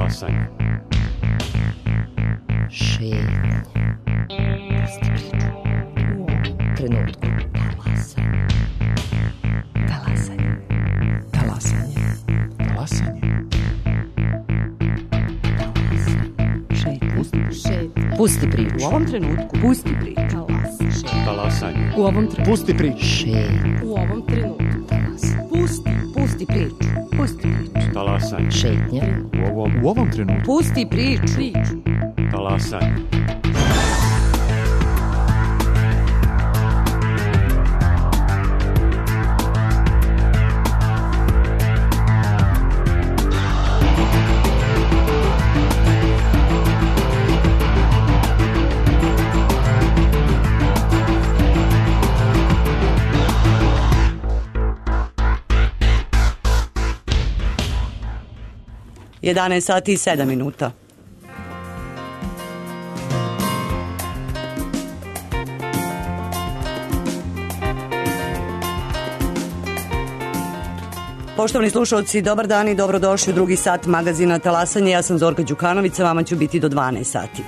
Talasanje. Šetnje. Pusti priču. U ovom trenutku. Talasanje. Talasanje. Talasanje. Talasanje. Pusti priču. U ovom trenutku. Pusti priču. Talasanje. U ovom trenutku. Pusti priču. U ovom trenutku. Pusti priču. Pusti priču. Talasanje. Šetnja. U ovom trenutku. Pusti priču. Talasanje. Jedanaest sati i 7 minuta. Poštovani slušalci, dobar dan i dobrodošli u drugi sat magazina Talasanje. Ja sam Zorka Đukanović, sa vama ću biti do 12 sati.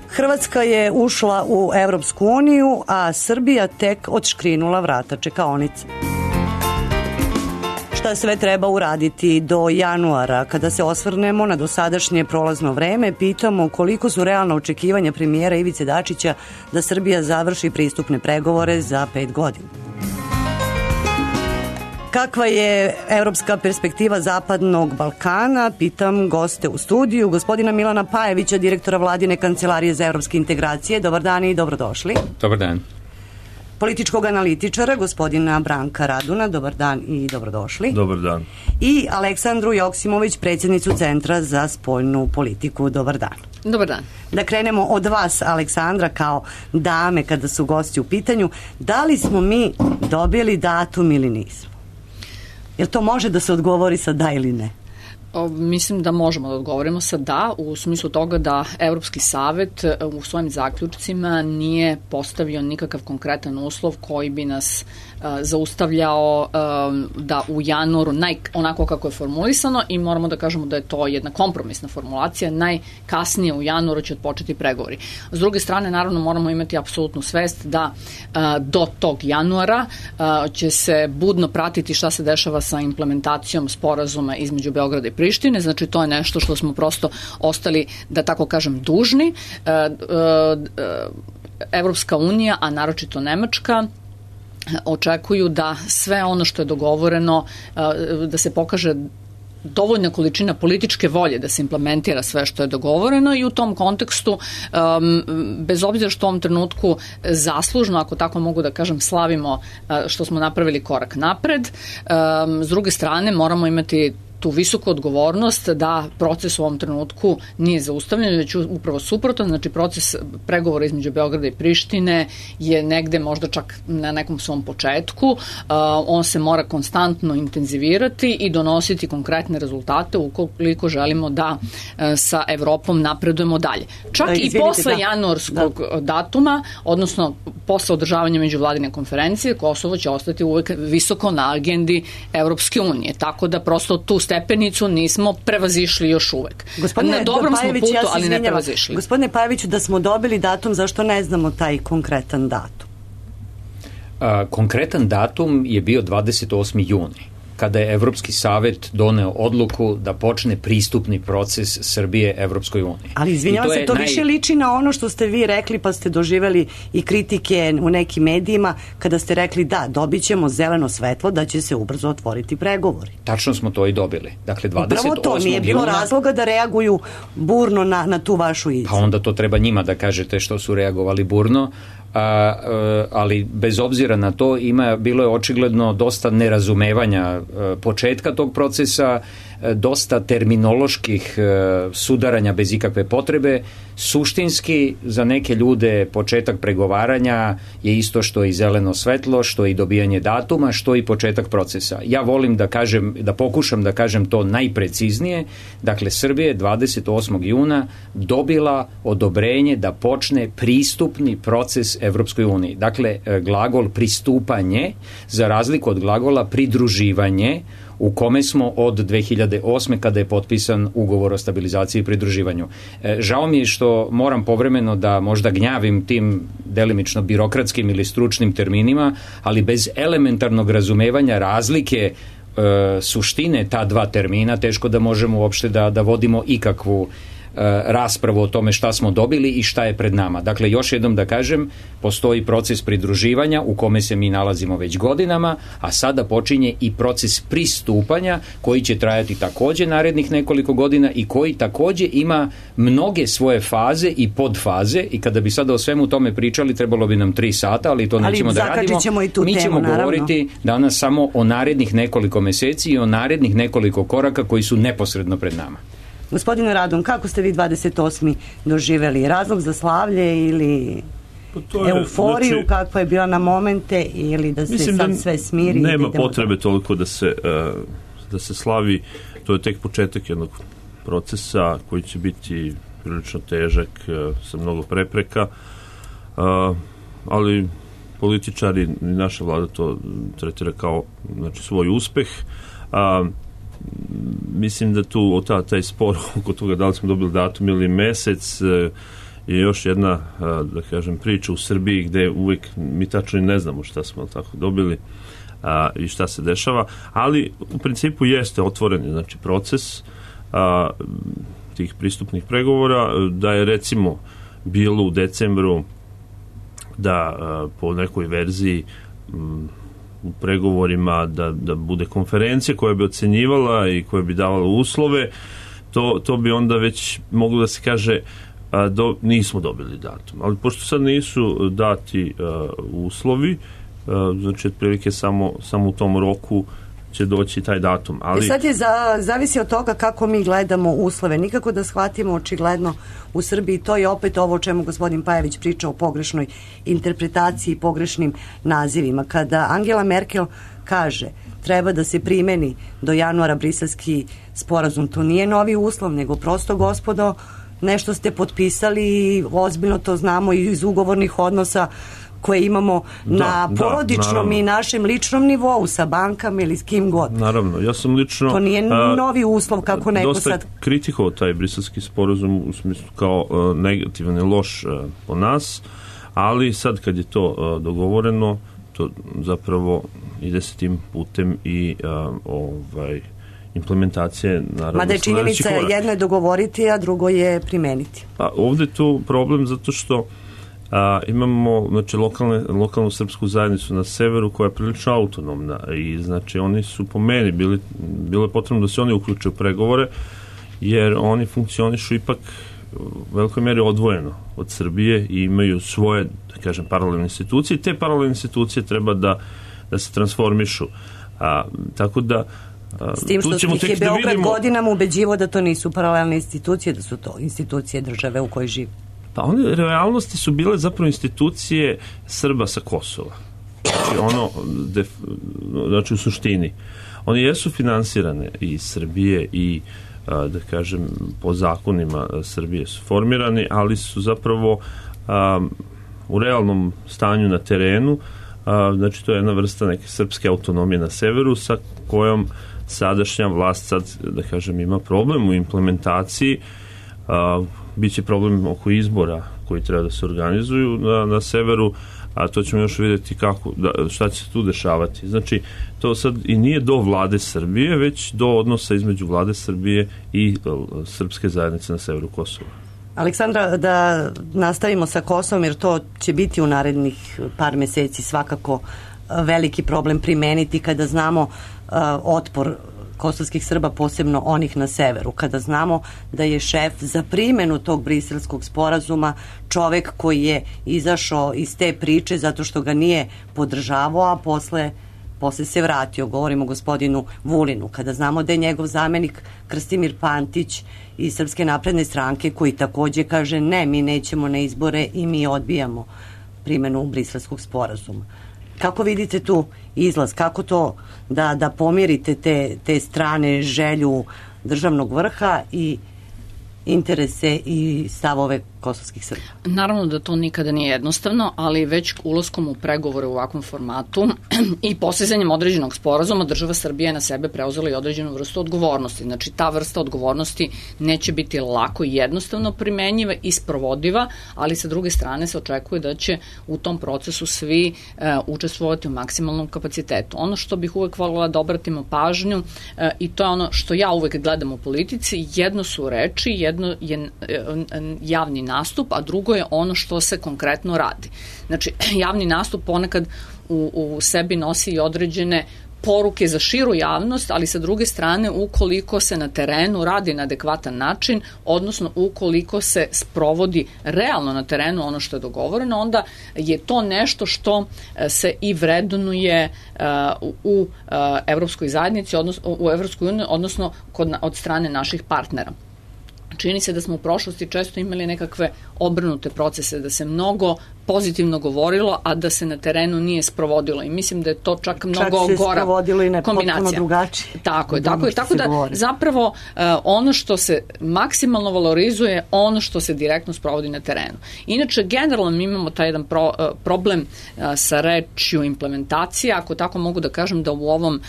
Hrvatska je ušla u Evropsku uniju, a Srbija tek odškrinula vrata čekaonice. Šta sve treba uraditi do januara? Kada se osvrnemo na dosadašnje prolazno vreme, pitamo koliko su realna očekivanja premijera Ivice Dačića da Srbija završi pristupne pregovore za 5 godina. Kakva je evropska perspektiva Zapadnog Balkana? Pitam goste u studiju, gospodina Milana Pajevića, direktora Vladine kancelarije za evropske integracije. Dobar dan i dobrodošli. Dobar dan. Političkog analitičara, gospodina Branka Raduna. Dobar dan i dobrodošli. Dobar dan. I Aleksandru Joksimović, predsjednicu Centra za spoljnu politiku. Dobar dan. Dobar dan. Da krenemo od vas, Aleksandra, kao dame kada su gosti u pitanju. Da li smo mi dobili datum ili nismo? Jel to može da se odgovori sa da ili ne? Mislim da možemo da odgovorimo sa da, u smislu toga da Evropski savet u svojim zaključcima nije postavio nikakav konkretan uslov koji bi nas zaustavljao da u januaru, onako kako je formulisano, i moramo da kažemo da je to jedna kompromisna formulacija, najkasnije u januaru će odpočeti pregovori. S druge strane, naravno, moramo imati apsolutnu svest da do tog januara će se budno pratiti šta se dešava sa implementacijom sporazuma između Beograda i Prištine, znači to je nešto što smo prosto ostali, da tako kažem, dužni. Evropska unija, a naročito Nemačka, očekuju da sve ono što je dogovoreno, da se pokaže dovoljna količina političke volje da se implementira sve što je dogovoreno, i u tom kontekstu, bez obzira što u ovom trenutku zaslužno, ako tako mogu da kažem, slavimo što smo napravili korak napred, s druge strane moramo imati tu visoku odgovornost da proces u ovom trenutku nije zaustavljen, već upravo suprotno, znači proces pregovora između Beograda i Prištine je negde možda čak na nekom svom početku, on se mora konstantno intenzivirati i donositi konkretne rezultate ukoliko želimo da sa Evropom napredujemo dalje. Čak i posle januarskog datuma, odnosno posle održavanja međuvladine konferencije, Kosovo će ostati uvek visoko na agendi Evropske unije, tako da prosto tu stepenicu nismo prevazišli još uvek. Na dobrom smo putu, ali ne prevazišli. Gospodine Pajeviću, da smo dobili datum, zašto ne znamo taj konkretan datum? Konkretan datum je bio 28. juni, kada je Evropski savet doneo odluku da počne pristupni proces Srbije Evropskoj uniji. Ali izvinjavam se, to više liči na ono što ste vi rekli, pa ste doživeli i kritike u nekim medijima kada ste rekli da, dobit ćemo zeleno svetlo da će se ubrzo otvoriti pregovori. Tačno smo to i dobili. Dakle, 28. Upravo to, nije bilo razloga da reaguju burno na tu vašu izjavu. Pa onda to treba njima da kažete što su reagovali burno. Ali bez obzira na to bilo je očigledno dosta nerazumevanja početka tog procesa, dosta terminoloških sudaranja bez ikakve potrebe. Suštinski, za neke ljude početak pregovaranja je isto što i zeleno svetlo, što i dobijanje datuma, što i početak procesa. Ja volim da pokušam da kažem to najpreciznije. Dakle, Srbija je 28. juna dobila odobrenje da počne pristupni proces Evropskoj uniji. Dakle, glagol pristupanje, za razliku od glagola pridruživanje, u kome smo od 2008. kada je potpisan ugovor o stabilizaciji i pridruživanju. Žao mi je što moram povremeno da možda gnjavim tim delimično birokratskim ili stručnim terminima, ali bez elementarnog razumevanja razlike suštine ta dva termina teško da možemo uopšte da vodimo ikakvu raspravu o tome šta smo dobili i šta je pred nama. Dakle, još jednom da kažem, postoji proces pridruživanja u kome se mi nalazimo već godinama, a sada počinje i proces pristupanja koji će trajati takođe narednih nekoliko godina i koji takođe ima mnoge svoje faze i podfaze i kada bi sada o svemu tome pričali trebalo bi nam 3 sata, ali to nećemo da radimo. Mi ćemo govoriti danas samo o narednih nekoliko meseci i o narednih nekoliko koraka koji su neposredno pred nama. Gospodine Radon, kako ste vi 28. doživeli? Razlog za slavlje ili euforiju, znači, kakva je bila na momente, ili da se sad sve smiri? Nema potrebe toliko da se slavi. To je tek početak jednog procesa koji će biti prilično težak, sa mnogo prepreka, ali političari i naša vlada to tretira kao, znači, svoj uspeh. Mislim da tu taj spor oko toga da li smo dobili datum ili mesec je još jedna, da kažem, priča u Srbiji gde uvijek mi tačno ne znamo šta smo tako dobili i šta se dešava, ali u principu jeste otvoreni, znači, proces tih pristupnih pregovora, da je recimo bilo u decembru da po nekoj verziji u pregovorima da bude konferencija koja bi ocenjivala i koja bi davala uslove, to bi onda već moglo da se kaže nismo dobili datum. Ali pošto sad nisu dati uslovi, znači otprilike samo u tom roku će doći taj datum. Ali sad je zavisi od toga kako mi gledamo uslove. Nikako da shvatimo očigledno u Srbiji, to je opet ovo o čemu gospodin Pajević priča, o pogrešnoj interpretaciji, pogrešnim nazivima. Kada Angela Merkel kaže treba da se primeni do januara Briselski sporazum, to nije novi uslov, nego prosto, gospodo, nešto ste potpisali i ozbiljno to znamo iz ugovornih odnosa koje imamo na porodičnom i našem ličnom nivou sa bankama ili s kim god. Naravno, ja sam lično... To nije novi uslov kako neko sad... Dosta kritikovao taj briselski sporazum u smislu kao negativan i loš po nas, ali sad kad je to dogovoreno, to zapravo ide se tim putem i implementacije, naravno... Mada je činjenica, jedno je dogovoriti, a drugo je primeniti. Pa ovde je tu problem zato što imamo, znači, lokalnu srpsku zajednicu na severu koja je prilično autonomna i, znači, oni su po meni bilo je potrebno da se oni uključe u pregovore, jer oni funkcionišu ipak u velikoj meri odvojeno od Srbije i imaju svoje, da kažem, paralelne institucije. Te paralelne institucije treba da se transformišu. Tako da s tim što ih je Beograd godinama ubeđivo da to nisu paralelne institucije, da su to institucije države u kojoj živi. Pa one realnosti su bile zapravo institucije Srba sa Kosova. Znači u suštini. One jesu finansirane i Srbije i, da kažem, po zakonima Srbije su formirani, ali su zapravo u realnom stanju na terenu, znači to je jedna vrsta neke srpske autonomije na severu sa kojom sadašnja vlast sad, da kažem, ima problem u implementaciji. Biće problem oko izbora koji treba da se organizuju na severu, a to ćemo još vidjeti šta će se tu dešavati. Znači, to sad i nije do vlade Srbije, već do odnosa između vlade Srbije i srpske zajednice na severu Kosova. Aleksandra, da nastavimo sa Kosovom, jer to će biti u narednih par meseci svakako veliki problem primeniti kada znamo otpor kosovskih Srba, posebno onih na severu, kada znamo da je šef za primjenu tog briselskog sporazuma čovek koji je izašao iz te priče zato što ga nije podržavao, a posle se vratio. Govorimo o gospodinu Vulinu. Kada znamo da je njegov zamenik Krstimir Pantić iz Srpske napredne stranke koji takođe kaže ne, mi nećemo na izbore i mi odbijamo primjenu briselskog sporazuma. Kako vidite tu izlaz? Kako to da pomirite te strane, želju državnog vrha i interese i stavove kosovskih Srba? Naravno da to nikada nije jednostavno, ali već ulaskom u pregovore u ovakvom formatu i postizanjem određenog sporazuma država Srbija je na sebe preuzela i određenu vrstu odgovornosti. Znači ta vrsta odgovornosti neće biti lako i jednostavno primenjiva i sprovodiva, ali sa druge strane se očekuje da će u tom procesu svi učestvovati u maksimalnom kapacitetu. Ono što bih uvek voljela da obratimo pažnju i to je ono što ja uvek gledam u politici, jedno su reči, jedno je javni nastup, a drugo je ono što se konkretno radi. Znači, javni nastup ponekad u sebi nosi i određene poruke za širu javnost, ali sa druge strane, ukoliko se na terenu radi na adekvatan način, odnosno ukoliko se sprovodi realno na terenu ono što je dogovoreno, onda je to nešto što se i vrednuje u Evropskoj zajednici, u Evropskoj uniji, odnosno od strane naših partnera. Čini se da smo u prošlosti često imali nekakve obrnute procese, da se mnogo pozitivno govorilo, a da se na terenu nije sprovodilo. I mislim da je to čak mnogo gora kombinacija. Čak se sprovodilo i ne potpuno drugačije. Tako je. Tako da zapravo ono što se maksimalno valorizuje, ono što se direktno sprovodi na terenu. Inače, generalno mi imamo taj jedan problem sa rečju implementacija, ako tako mogu da kažem da u ovom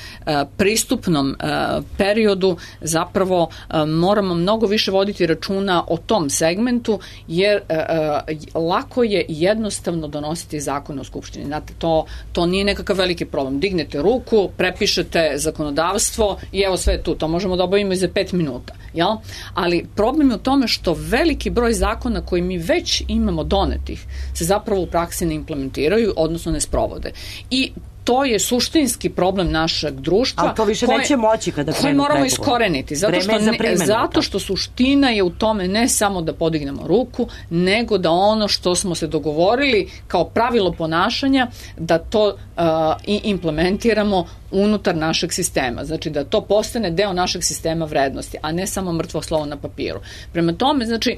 pristupnom periodu zapravo moramo mnogo više voditi računa o tom segmentu, jer lako je jednostavno donositi zakone u Skupštini. Znate, to nije nekakav veliki problem. Dignete ruku, prepišete zakonodavstvo i evo sve je tu. To možemo da obavimo i za 5 minuta. Jel? Ali problem je u tome što veliki broj zakona koji mi već imamo donetih se zapravo u praksi ne implementiraju, odnosno ne sprovode. I to je suštinski problem našeg društva. Ali to više neće moći kada krenu koji moramo iskoreniti. Zato što suština je u tome ne samo da podignemo ruku, nego da ono što smo se dogovorili kao pravilo ponašanja, da to i implementiramo unutar našeg sistema. Znači da to postane deo našeg sistema vrednosti, a ne samo mrtvo slovo na papiru. Prema tome, znači,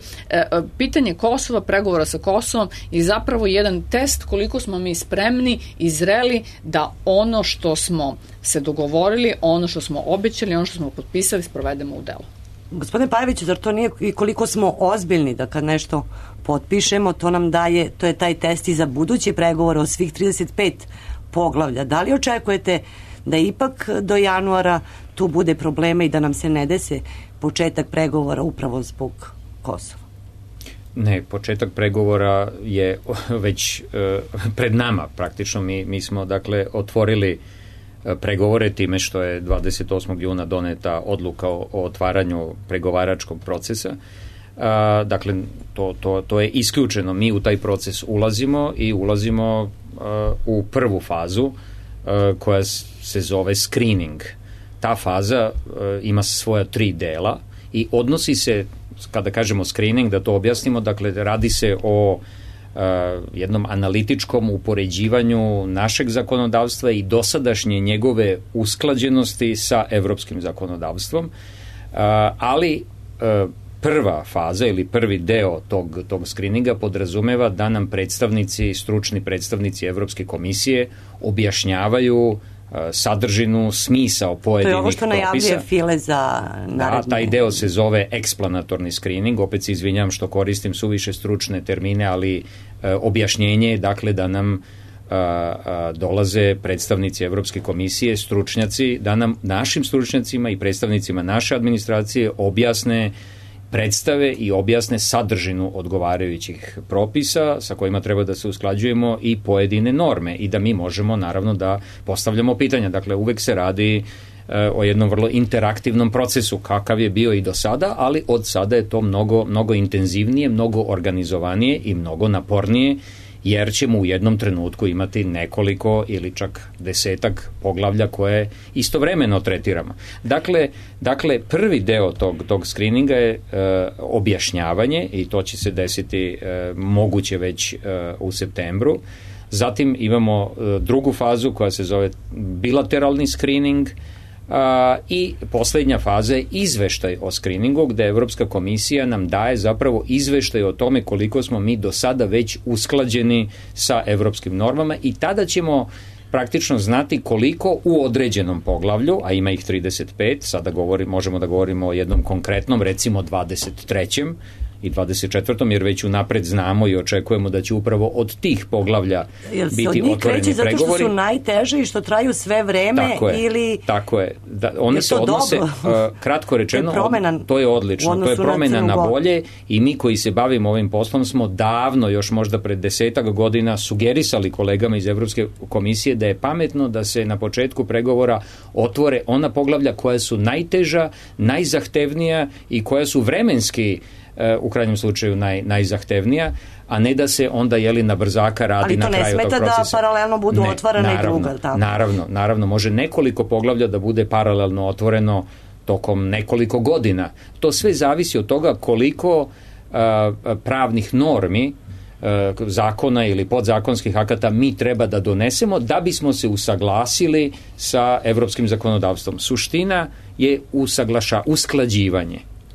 pitanje Kosova, pregovora sa Kosovom je zapravo jedan test koliko smo mi spremni i zreli da ono što smo se dogovorili, ono što smo obećali, ono što smo potpisali, sprovedemo u delo. Gospodine Pajeviću, zar to nije i koliko smo ozbiljni da kad nešto potpišemo, to nam daje, to je taj test i za buduće pregovore o svih 35 poglavlja. Da li očekujete da ipak do januara tu bude problema i da nam se ne dese početak pregovora upravo zbog Kosova? Ne, početak pregovora je već pred nama praktično. Mi smo dakle otvorili pregovore time što je 28. juna doneta odluka o otvaranju pregovaračkog procesa. Dakle, to je isključeno. Mi u taj proces ulazimo u prvu fazu koja se zove screening. Ta faza ima svoja 3 dela i odnosi se, kada kažemo screening, da to objasnimo, dakle radi se o jednom analitičkom upoređivanju našeg zakonodavstva i dosadašnje njegove usklađenosti sa evropskim zakonodavstvom, ali prva faza ili prvi deo tog screeninga podrazumeva da nam stručni predstavnici Evropske komisije objašnjavaju sadržinu, smisao pojedinih propisa. To je ovo što najavljuje File za narednu. Da, taj deo se zove eksplanatorni screening, opet se izvinjam što koristim suviše stručne termine, ali objašnjenje je dakle da nam dolaze predstavnici Evropske komisije, stručnjaci, da nam našim stručnjacima i predstavnicima naše administracije objasne, predstave i objasne sadržinu odgovarajućih propisa sa kojima treba da se usklađujemo i pojedine norme i da mi možemo naravno da postavljamo pitanja. Dakle, uvek se radi o jednom vrlo interaktivnom procesu kakav je bio i do sada, ali od sada je to mnogo intenzivnije, mnogo organizovanije i mnogo napornije, jer ćemo u jednom trenutku imati nekoliko ili čak 10 poglavlja koje istovremeno tretiramo. Dakle, prvi deo tog screeninga je objašnjavanje i to će se desiti moguće već u septembru. Zatim imamo drugu fazu koja se zove bilateralni screening, i poslednja faza je izveštaj o screeningu, gde Evropska komisija nam daje zapravo izveštaj o tome koliko smo mi do sada već usklađeni sa evropskim normama i tada ćemo praktično znati koliko u određenom poglavlju, a ima ih 35, sada možemo da govorimo o jednom konkretnom, recimo 23. i 24. jer već unapred znamo i očekujemo da će upravo od tih poglavlja biti otvoreni pregovori. Kreće zato što su najteže i što traju sve vreme ili... Tako je. One se odnose, kratko rečeno, to je odlično. To je promena na bolje i mi koji se bavimo ovim poslom smo davno, još možda pred 10 godina, sugerisali kolegama iz Evropske komisije da je pametno da se na početku pregovora otvore ona poglavlja koja su najteža, najzahtevnija i koja su vremenski u krajnjem slučaju najzahtevnija, a ne da se onda na brzaka radi na kraju tog procesa. Ali to ne smeta da paralelno budu otvorene i druga. Tako. Naravno, može nekoliko poglavlja da bude paralelno otvoreno tokom nekoliko godina. To sve zavisi od toga koliko pravnih normi, zakona ili podzakonskih akata mi treba da donesemo da bismo usaglasili sa evropskim zakonodavstvom. Suština je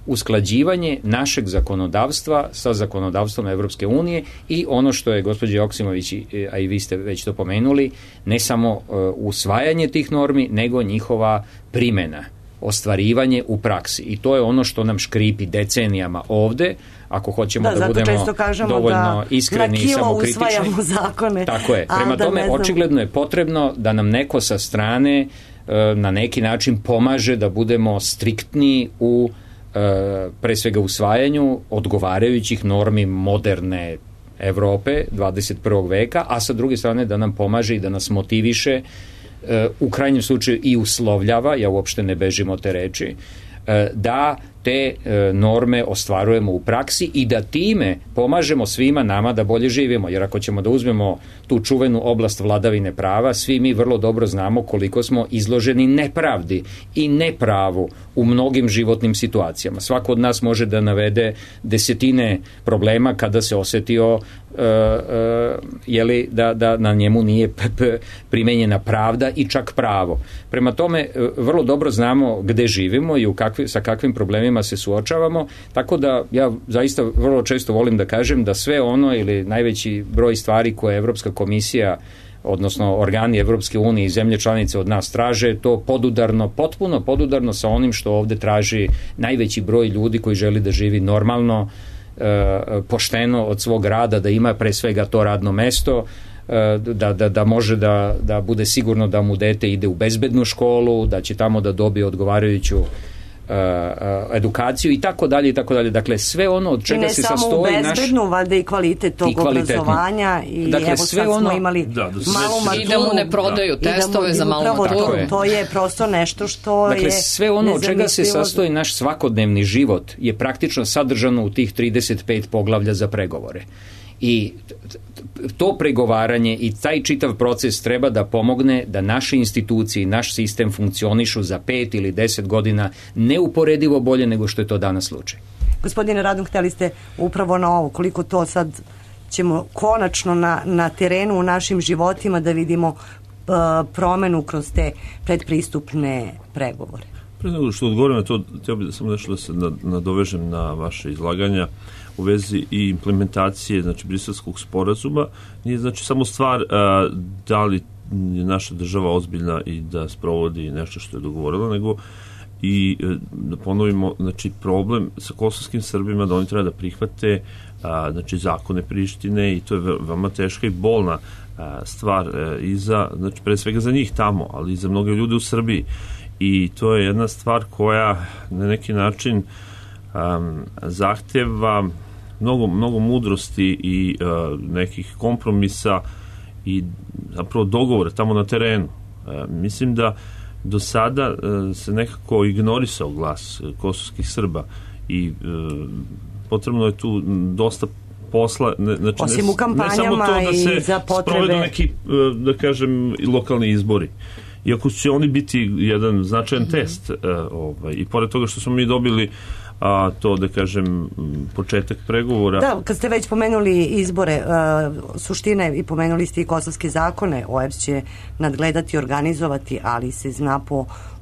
usklađivanje našeg zakonodavstva sa zakonodavstvom Evropske unije i ono što je gospođa Joksimović, a i vi ste već to pomenuli, ne samo usvajanje tih normi, nego njihova primjena, ostvarivanje u praksi. I to je ono što nam škripi decenijama ovde, ako hoćemo da budemo dovoljno iskreni i samokritični. Zakone. Tako je. Prema tome, očigledno je potrebno da nam neko sa strane na neki način pomaže da budemo striktni u pre svega usvajanju odgovarajućih normi moderne Evrope 21. veka, a sa druge strane da nam pomaže i da nas motiviše, u krajnjem slučaju i uslovljava, ja uopšte ne bežim od te reči, da te norme ostvarujemo u praksi i da time pomažemo svima nama da bolje živimo. Jer ako ćemo da uzmemo tu čuvenu oblast vladavine prava, svi mi vrlo dobro znamo koliko smo izloženi nepravdi i nepravu u mnogim životnim situacijama. Svako od nas može da navede desetine problema kada se osetio da na njemu nije primenjena pravda i čak pravo. Prema tome, vrlo dobro znamo gde živimo i sa kakvim problemima se suočavamo, tako da ja zaista vrlo često volim da kažem da sve ono ili najveći broj stvari koje Evropska komisija, odnosno organi Evropske unije i zemlje članice od nas traže, to potpuno podudarno sa onim što ovde traži najveći broj ljudi koji želi da živi normalno, pošteno od svog rada, da ima pre svega to radno mesto, da može da bude sigurno da mu dete ide u bezbednu školu, da će tamo da dobije odgovarajuću edukaciju i tako dalje. Dakle, sve ono od čega se sastoji naš... I ne samo u bezbednu, valjda i kvalitet tog obrazovanja i dakle, evo sad smo imali malu maturu. I da mu ne prodaju testove za malu maturu. To je prosto nešto što dakle, je sve ono od čega se sastoji naš svakodnevni život je praktično sadržano u tih 35 poglavlja za pregovore. I to pregovaranje i taj čitav proces treba da pomogne da naše institucije i naš sistem funkcionišu za 5 ili 10 godina neuporedivo bolje nego što je to danas slučaj. Gospodine Radun, hteli ste upravo na ovo, koliko to sad ćemo konačno na terenu u našim životima da vidimo promenu kroz te predpristupne pregovore. Pre nego što odgovorim na to, htio bih da samo nešto da se nadovežem na vaše izlaganja u vezi i implementacije, znači, Briselskog sporazuma. Nije, znači, samo stvar da li je naša država ozbiljna i da sprovodi nešto što je dogovorila, nego i da ponovimo, znači, problem sa kosovskim Srbima da oni treba da prihvate znači, zakone Prištine i to je veoma teška i bolna stvar i za, znači, pre svega za njih tamo, ali i za mnoge ljude u Srbiji. I to je jedna stvar koja na neki način zahteva mnogo mudrosti i nekih kompromisa i zapravo dogovore tamo na terenu. Mislim da do sada se nekako ignorisao glas kosovskih Srba i potrebno je tu dosta posla, znači osim u kampanjama ne samo to da se sprovedu neki, da kažem, lokalni izbori. Iako će oni biti jedan značajan test i pored toga što smo mi dobili to, da kažem, početak pregovora. Da, kad ste već pomenuli izbore, suštine i pomenuli ste i kosovske zakone, OEBS će nadgledati, organizovati, ali se zna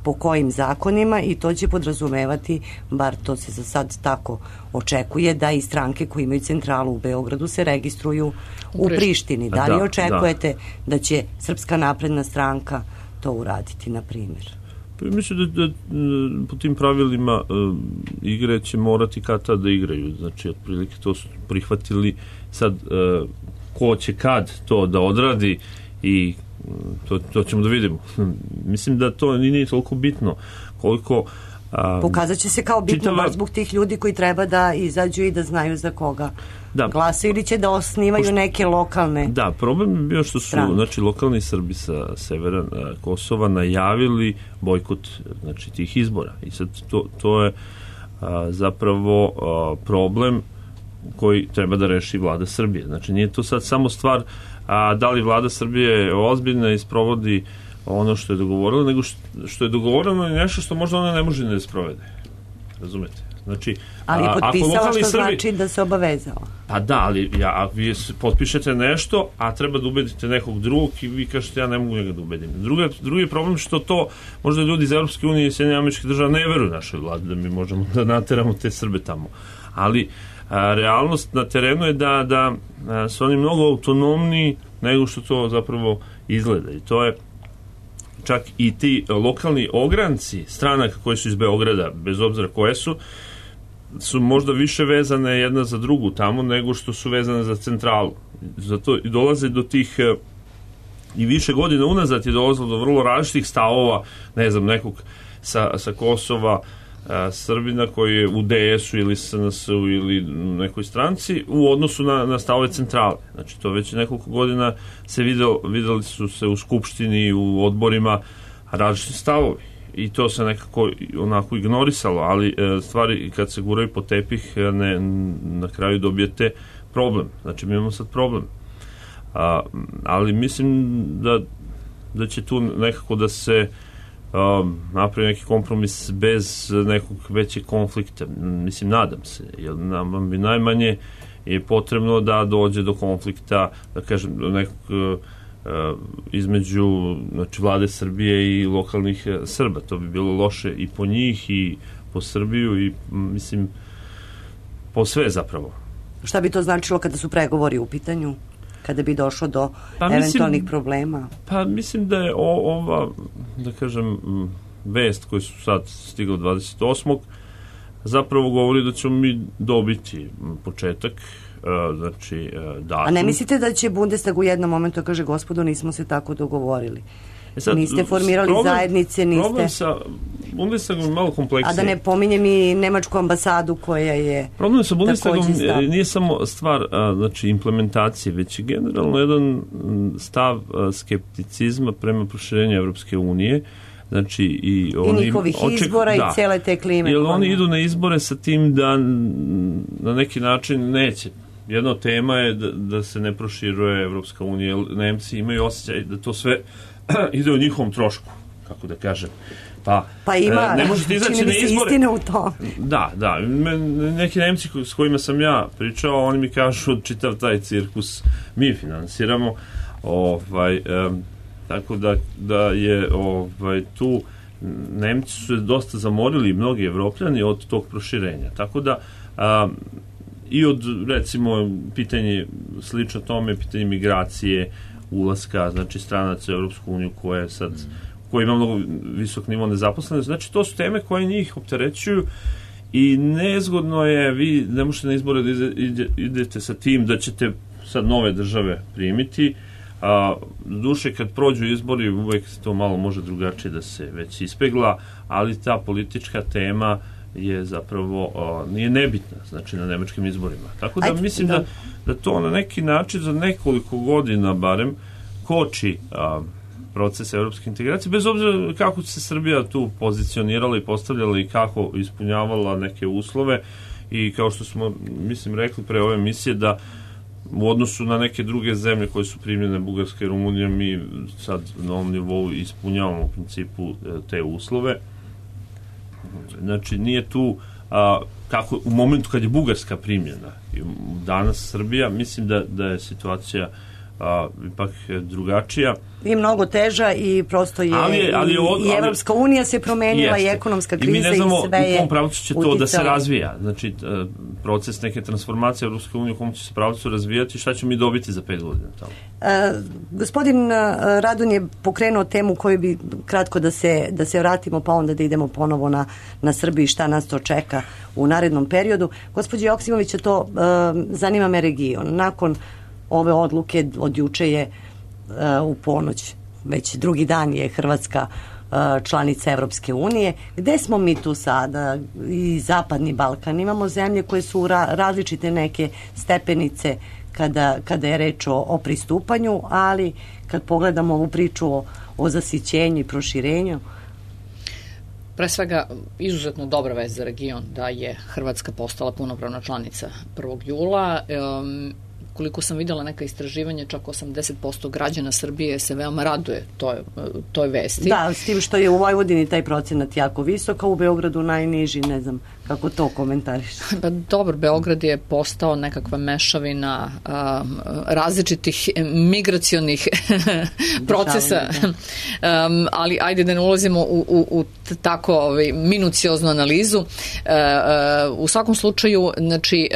po kojim zakonima i to će podrazumevati, bar to se za sad tako očekuje, da i stranke koje imaju centralu u Beogradu se registruju u Prištini. Da li očekujete da će Srpska napredna stranka to uraditi, na primjer? Mislim da po tim pravilima igre će morati kad tad da igraju. Znači, otprilike to su prihvatili. Sad, ko će kad to da odradi i to ćemo da vidimo. Mislim da to nije toliko bitno koliko... Pokazat će se kao bitno zbog tih ljudi koji treba da izađu i da znaju za koga glasaju ili će da osnivaju neke lokalne. Da, problem je bio što su lokalni Srbi sa severa Kosova najavili bojkot tih izbora i sad to je zapravo problem koji treba da reši vlada Srbije. Znači nije to sad samo stvar da li vlada Srbije ozbiljna i sprovodi ono što je dogovorilo, nego što je dogovoreno je nešto što možda ona ne može da sprovede. Razumete? Znači, ali je potpisala što znači da se obavezala. Pa da, ali vi potpišete nešto, a treba da ubedite nekog drugog i vi kažete ja ne mogu njega da ubedim. Drugi problem što to možda ljudi iz Europske unije i Sjedinjenih Američkih Država ne veruju našoj vladi da mi možemo da nateramo te Srbe tamo. Ali realnost na terenu je da su oni mnogo autonomniji nego što to zapravo izgleda i to je čak i ti lokalni ogranci stranaka koji su iz Beograda, bez obzira koje su možda više vezane jedna za drugu tamo nego što su vezane za centralu. Zato i dolaze do tih i više godina unazad je dolazilo do vrlo različitih stavova, ne znam, nekog sa Kosova, Srbina koji je u DS-u ili SNS-u ili nekoj stranci u odnosu na stavove centrale. Znači to već nekoliko godina se videli su se u skupštini, u odborima različiti stavovi i to se nekako onako ignorisalo, ali stvari kad se guraju po tepih na kraju dobijete problem. Znači mi imamo sad problem. Ali mislim da će tu nekako da se napravi neki kompromis bez nekog većeg konflikta. Mislim, nadam se, jer nam bi najmanje je potrebno da dođe do konflikta, da kažem, nekog između vlade Srbije i lokalnih Srba. To bi bilo loše i po njih i po Srbiju i mislim po sve zapravo. Šta bi to značilo kada su pregovori u pitanju? Kada bi došlo do eventualnih problema? Pa mislim da je ova, da kažem, vest koju su sad stigla 28. zapravo govori da ćemo mi dobiti početak, znači datum. A ne mislite da će Bundestag u jednom momentu kaže gospodo nismo se tako dogovorili? Niste formirali zajednice, niste... Problem sa Bundestagom je malo kompleksnije. A da ne pominjem i nemačku ambasadu koja je... Problem sa Bundestagom nije samo stvar znači, implementacije, već je generalno jedan stav skepticizma prema proširenju Evropske unije. Znači, i njihovih izbora i cele te klime. Jer oni idu na izbore sa tim da na neki način neće. Jedna od tema je da se ne proširuje Evropska unija. Nemci imaju osjećaj da to sve ide u njihovom trošku, kako da kažem. Pa ima, ne možete izaći na izbore. Istine u to. Da. Neki Nemci s kojima sam ja pričao, oni mi kažu čitav taj cirkus mi finansiramo. Tako da je tu Nemci su se dosta zamorili, mnogi Evropljani od tog proširenja. Tako da i od, recimo, pitanje slično tome, pitanje migracije, ulaska, znači stranaca u Europsku uniju koja ima mnogo visok nivo nezaposlenosti. Znači, to su teme koje njih opterećuju i nezgodno je, vi ne možete na izbore da idete sa tim da ćete sad nove države primiti, duše kad prođu izbori uvek to malo može drugačije da se već ispegla, ali ta politička tema je zapravo nije nebitna, znači na nemačkim izborima. Tako da mislim da to na neki način za nekoliko godina barem koči proces evropske integracije, bez obzira kako se Srbija tu pozicionirala i postavljala i kako ispunjavala neke uslove i kao što smo, mislim, rekli pre ove emisije da u odnosu na neke druge zemlje koje su primljene, Bugarska i Rumunija, mi sad na ovom nivou ispunjavamo u principu te uslove. Znači, nije tu kako u momentu kad je Bugarska primljena i danas Srbija, mislim da je situacija ipak drugačija. I mnogo teža i prosto je i Evropska unija se promenila i ekonomska kriza i sve je i mi ne znamo u kom pravcu će to da se razvija. Znači, proces neke transformacije Evropske unije u kom će se pravcu razvijati, šta ćemo mi dobiti za 5 godina tamo? Gospodin Radon je pokrenuo temu koju bi kratko da se vratimo, pa onda da idemo ponovo na Srbiji, šta nas to čeka u narednom periodu. Gospođo Joksimovića, to zanima me region. Nakon ove odluke od juče je u ponoć, već drugi dan je Hrvatska članica Evropske unije. Gde smo mi tu sada? I Zapadni Balkan. Imamo zemlje koje su različite neke stepenice kada je reč o pristupanju, ali kad pogledamo ovu priču o zasićenju i proširenju, pre svega, izuzetno dobra vest za region da je Hrvatska postala punopravna članica 1. jula. Koliko sam videla neka istraživanja, čak 80% građana Srbije se veoma raduje toj vesti. Da, s tim što je u Vojvodini taj procenat jako visok, a u Beogradu najniži, ne znam kako to komentariš. Pa dobro, Beograd je postao nekakva mešavina različitih migracionih procesa, ali ajde da ne ulazimo u tako minucioznu analizu. U svakom slučaju, znači,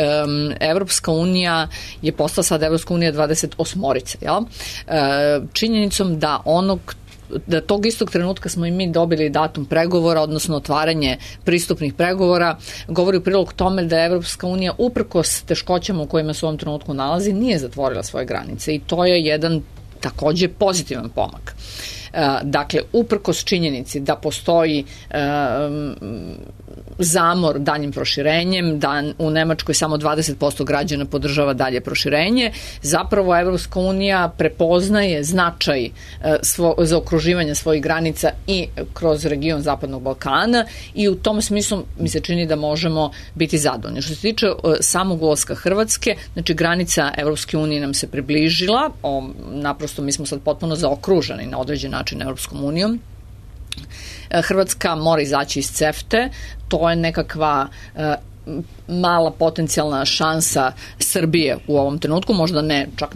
Evropska unija je postala sad Evropska unija 28-orice, jel? Činjenicom da tog istog trenutka smo i mi dobili datum pregovora, odnosno otvaranje pristupnih pregovora, govori u prilog tome da Evropska unija uprkos teškoćama u kojima se u ovom trenutku nalazi nije zatvorila svoje granice i to je jedan takođe pozitivan pomak. Dakle, uprkos činjenici da postoji zamor daljim proširenjem, da u Nemačkoj samo 20% građana podržava dalje proširenje, zapravo Evropska unija prepoznaje značaj zaokruživanja svojih granica i kroz region Zapadnog Balkana i u tom smislu mi se čini da možemo biti zadovoljni. Što se tiče samog ulaska Hrvatske, znači granica Evropske unije nam se približila, naprosto mi smo sad potpuno zaokruženi na određen način Evropskom unijom. Hrvatska mora izaći iz CEFTA, to je nekakva mala potencijalna šansa Srbije u ovom trenutku, možda ne čak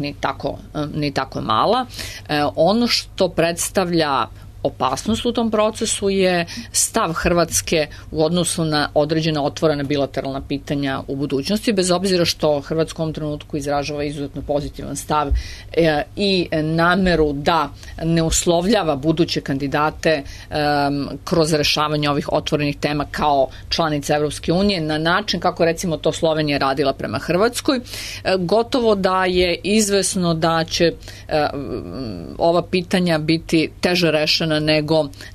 ni tako mala. Ono što predstavlja opasnost u tom procesu je stav Hrvatske u odnosu na određena otvorena bilateralna pitanja u budućnosti, bez obzira što Hrvatska u ovom trenutku izražava izuzetno pozitivan stav i nameru da ne uslovljava buduće kandidate kroz rešavanje ovih otvorenih tema kao članica Evropske unije na način kako recimo to Slovenija radila prema Hrvatskoj. Gotovo da je izvesno da će ova pitanja biti teže rešena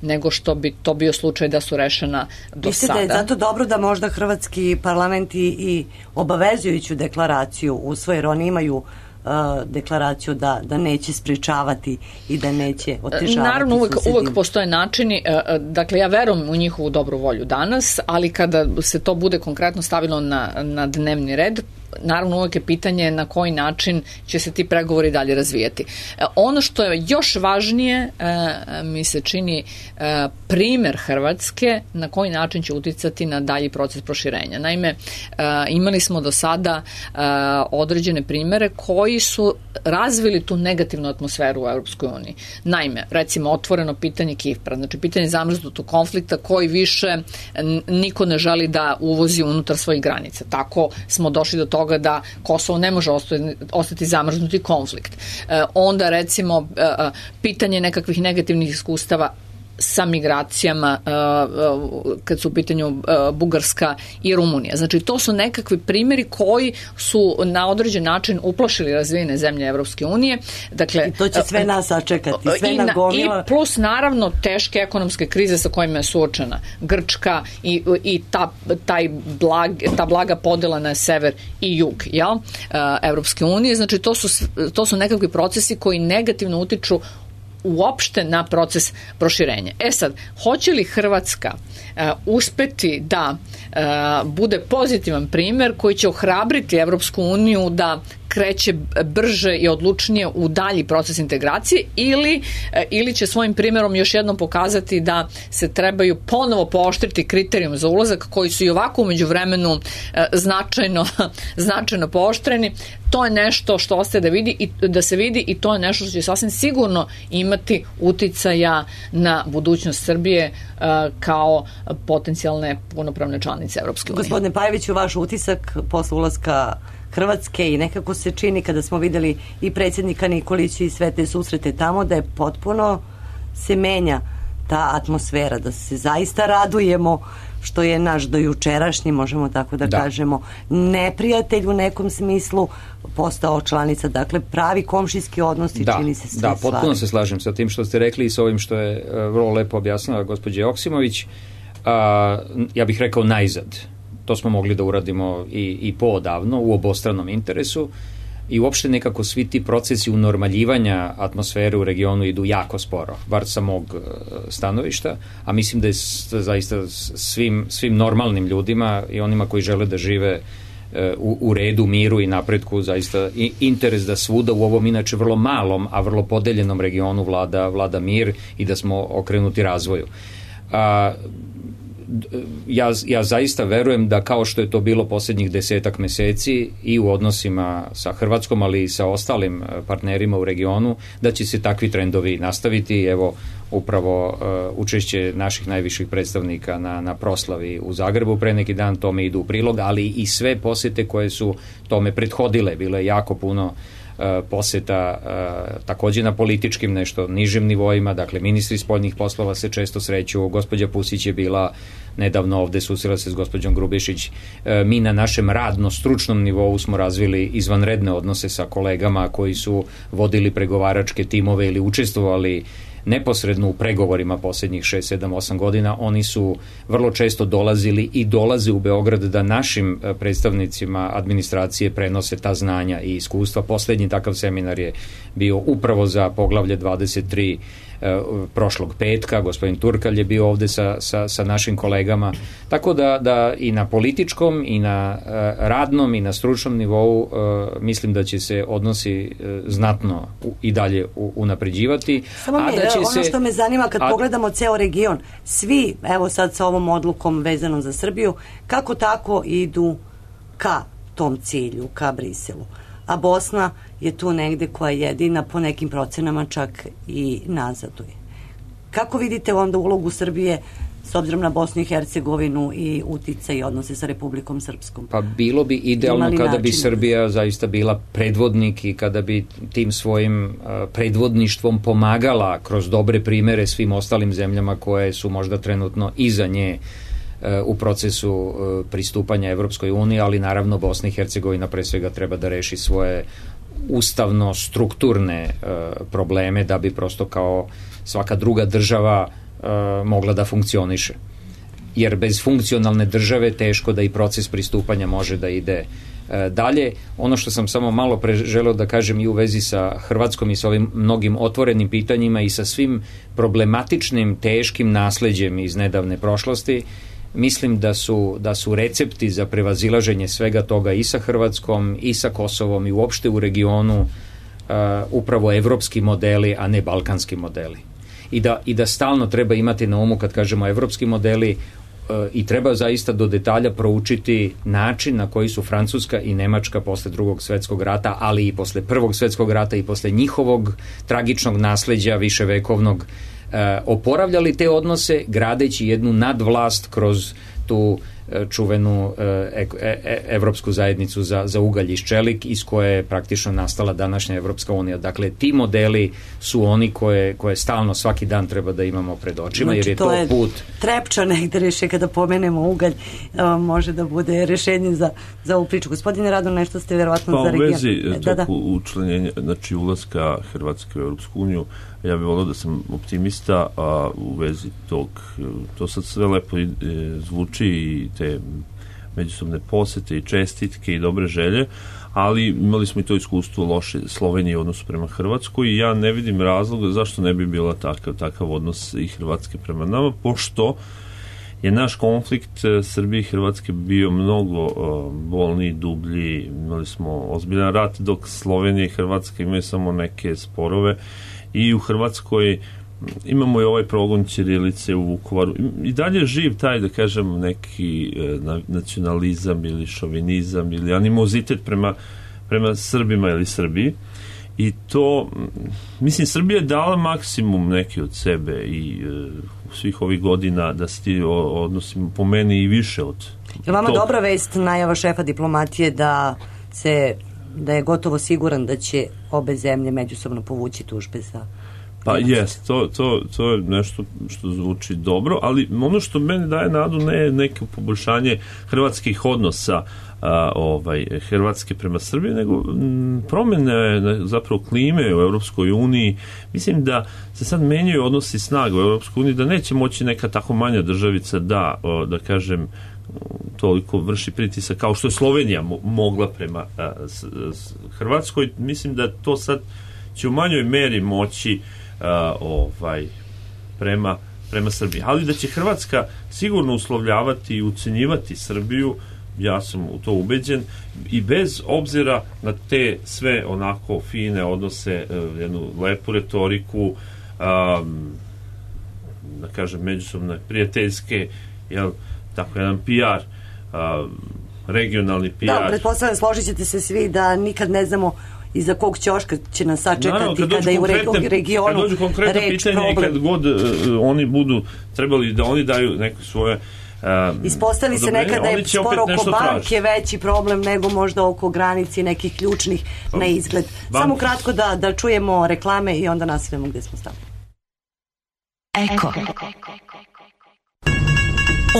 nego što bi to bio slučaj da su rešena do sada. Mislite da je zato dobro da možda hrvatski parlament i obavezujuću deklaraciju usvoje, jer oni imaju deklaraciju da neće sprečavati i da neće otežavati. Naravno, uvek postoje načini, dakle ja verujem u njihovu dobru volju danas, ali kada se to bude konkretno stavilo na dnevni red, naravno uvek je pitanje na koji način će se ti pregovori dalje razvijati. Ono što je još važnije, mi se čini primer Hrvatske na koji način će uticati na dalji proces proširenja. Naime, imali smo do sada određene primere koji su razvili tu negativnu atmosferu u Evropskoj uniji. Naime, recimo otvoreno pitanje Kipra, znači pitanje zamrznutog konflikta koji više niko ne želi da uvozi unutar svojih granica. Tako smo došli do toga da Kosovo ne može ostati zamrznuti konflikt. Onda recimo pitanje nekakvih negativnih iskustava sa migracijama kad su u pitanju Bugarska i Rumunija. Znači to su nekakvi primjeri koji su na određen način uplašili razvijene zemlje Evropske unije. Dakle, i to će sve nas sačekati, sve nagomila. I plus naravno teške ekonomske krize sa kojima je suočena Grčka i ta blaga podela na sever i jug Evropske unije. Znači to su nekakvi procesi koji negativno utiču uopšte na proces proširenja. Sad, hoće li Hrvatska uspeti da bude pozitivan primer koji će ohrabriti Evropsku uniju da kreće brže i odlučnije u dalji proces integracije ili će svojim primjerom još jednom pokazati da se trebaju ponovo pooštriti kriterijum za ulazak koji su i ovako umeđu vremenu značajno pooštreni. To je nešto što ostaje da se vidi i to je nešto što će sasvim sigurno imati uticaja na budućnost Srbije kao potencijalne punopravne članice Evropske unije. Gospodine Pajeviću, vaš utisak posle ulaska Hrvatske i nekako se čini kada smo videli i predsjednika Nikolića i sve te susrete tamo da je potpuno se menja ta atmosfera, da se zaista radujemo što je naš dojučerašnji, možemo tako da kažemo, neprijatelj u nekom smislu postao članica, dakle pravi komšijski odnos i čini se sve stvari. Da, potpuno se slažem sa tim što ste rekli i sa ovim što je vrlo lepo objasnila gospođa Joksimović. Ja bih rekao najzad. To smo mogli da uradimo i poodavno u obostranom interesu i uopšte nekako svi ti procesi unormaljivanja atmosfere u regionu idu jako sporo, bar sa mog stanovišta, a mislim da je zaista svim normalnim ljudima i onima koji žele da žive u redu, miru i napretku zaista interes da svuda u ovom inače vrlo malom, a vrlo podeljenom regionu vlada mir i da smo okrenuti razvoju. Ja zaista verujem da kao što je to bilo posljednjih 10 meseci i u odnosima sa Hrvatskom, ali i sa ostalim partnerima u regionu, da će se takvi trendovi nastaviti. Evo, upravo učešće naših najviših predstavnika na proslavi u Zagrebu pre neki dan tome idu u prilog, ali i sve posete koje su tome prethodile. Bilo je jako puno poseta takođe na političkim nešto nižim nivoima, dakle ministri spoljnih poslova se često sreću, gospođa Pusić je bila nedavno ovde, susrela se s gospođom Grubišić. Mi na našem radno-stručnom nivou smo razvili izvanredne odnose sa kolegama koji su vodili pregovaračke timove ili učestvovali neposredno u pregovorima posljednjih 6, 7, 8 godina. Oni su vrlo često dolazili i dolaze u Beograd da našim predstavnicima administracije prenose ta znanja i iskustva. Poslednji takav seminar je bio upravo za poglavlje 23 prošlog petka, gospodin Turkalj je bio ovde sa našim kolegama, tako da i na političkom i na radnom i na stručnom nivou mislim da će se odnosi znatno i dalje unapređivati. Samo ono što me zanima kad pogledamo ceo region, svi, evo sad sa ovom odlukom vezanom za Srbiju, kako tako idu ka tom cilju, ka Briselu. A Bosna je tu negde koja jedina po nekim procenama čak i nazaduje. Kako vidite onda ulogu Srbije s obzirom na Bosnu i Hercegovinu i uticaj i odnose sa Republikom Srpskom? Pa bilo bi idealno kada bi Srbija zaista bila predvodnik i kada bi tim svojim predvodništvom pomagala kroz dobre primere svim ostalim zemljama koje su možda trenutno iza nje u procesu pristupanja Evropskoj uniji, ali naravno Bosna i Hercegovina pre svega treba da reši svoje ustavno-strukturne probleme da bi prosto kao svaka druga država mogla da funkcioniše. Jer bez funkcionalne države teško da i proces pristupanja može da ide dalje. Ono što sam samo malo pre želeo da kažem i u vezi sa Hrvatskom i sa ovim mnogim otvorenim pitanjima i sa svim problematičnim, teškim nasleđem iz nedavne prošlosti, mislim da su recepti za prevazilaženje svega toga i sa Hrvatskom i sa Kosovom i uopšte u regionu upravo evropski modeli, a ne balkanski modeli. I da stalno treba imati na umu kad kažemo evropski modeli i treba zaista do detalja proučiti način na koji su Francuska i Nemačka posle Drugog svetskog rata, ali i posle Prvog svetskog rata i posle njihovog tragičnog nasleđa viševekovnog oporavljali te odnose gradeći jednu nadvlast kroz tu čuvenu evropsku zajednicu za ugalj i ščelik iz koje je praktično nastala današnja Evropska unija. Dakle, ti modeli su oni koje stalno svaki dan treba da imamo pred očima, jer je to put... Trepča negde reše kada pomenemo ugalj, može da bude rešenje za ovu priču. Gospodine Rado, nešto ste verovatno za region. Pa u vezi toku učlanjenja, znači ulaska Hrvatske u Evropsku uniju, ja bih volio da sam optimista, a u vezi to sad sve lepo zvuči i te međusobne posete i čestitke i dobre želje, ali imali smo i to iskustvo loše Slovenije u odnosu prema Hrvatskoj i ja ne vidim razloga zašto ne bi bila takav odnos i Hrvatske prema nama, pošto je naš konflikt Srbije i Hrvatske bio mnogo bolniji, dublji. Imali smo ozbiljan rat, dok Slovenija i Hrvatska imaju samo neke sporove, i u Hrvatskoj imamo i ovaj progon ćirilice u Vukovaru. I dalje je živ taj, da kažem, neki nacionalizam ili šovinizam ili animozitet prema Srbima ili Srbiji. I to, mislim, Srbija je dala maksimum neki od sebe i svih ovih godina da se ti odnosi po meni i više od je vama dobra vest najava šefa diplomatije da je gotovo siguran da će obe zemlje međusobno povući tužbe za... Pa jest, to je nešto što zvuči dobro, ali ono što meni daje nadu ne neko poboljšanje hrvatskih odnosa Hrvatske prema Srbiji, nego promjene zapravo klime u Europskoj uniji. Mislim da se sad menjaju odnosi snaga u Europskoj uniji, da neće moći neka tako manja državica da kažem, toliko vrši pritisak kao što je Slovenija mogla prema Hrvatskoj. Mislim da to sad će u manjoj meri moći prema Srbiji. Ali da će Hrvatska sigurno uslovljavati i ucenjivati Srbiju, ja sam u to ubeđen, i bez obzira na te sve onako fine odnose, jednu lepu retoriku, da kažem međusobne prijateljske, tako jedan PR, regionalni PR. Da, pretpostavljam, složit ćete se svi da nikad ne znamo iza kog ćoška će nas sačekati kada je u regionu kad dođu konkretno pitanje i kad god oni budu trebali da oni daju neko svoje ispostavi se nekada je spor oko banke veći problem nego možda oko granici nekih ključnih na izgled. Samo kratko da čujemo reklame i onda nastavimo gde smo stali. Eko.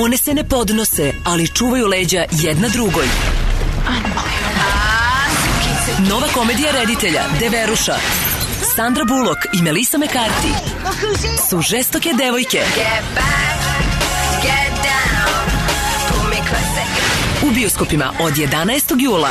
One se ne podnose, ali čuvaju leđa jedna drugoj. Nova komedija reditelja Deveruša, Sandra Bullock i Melissa McCarthy su žestoke devojke u bioskopima od 11. jula.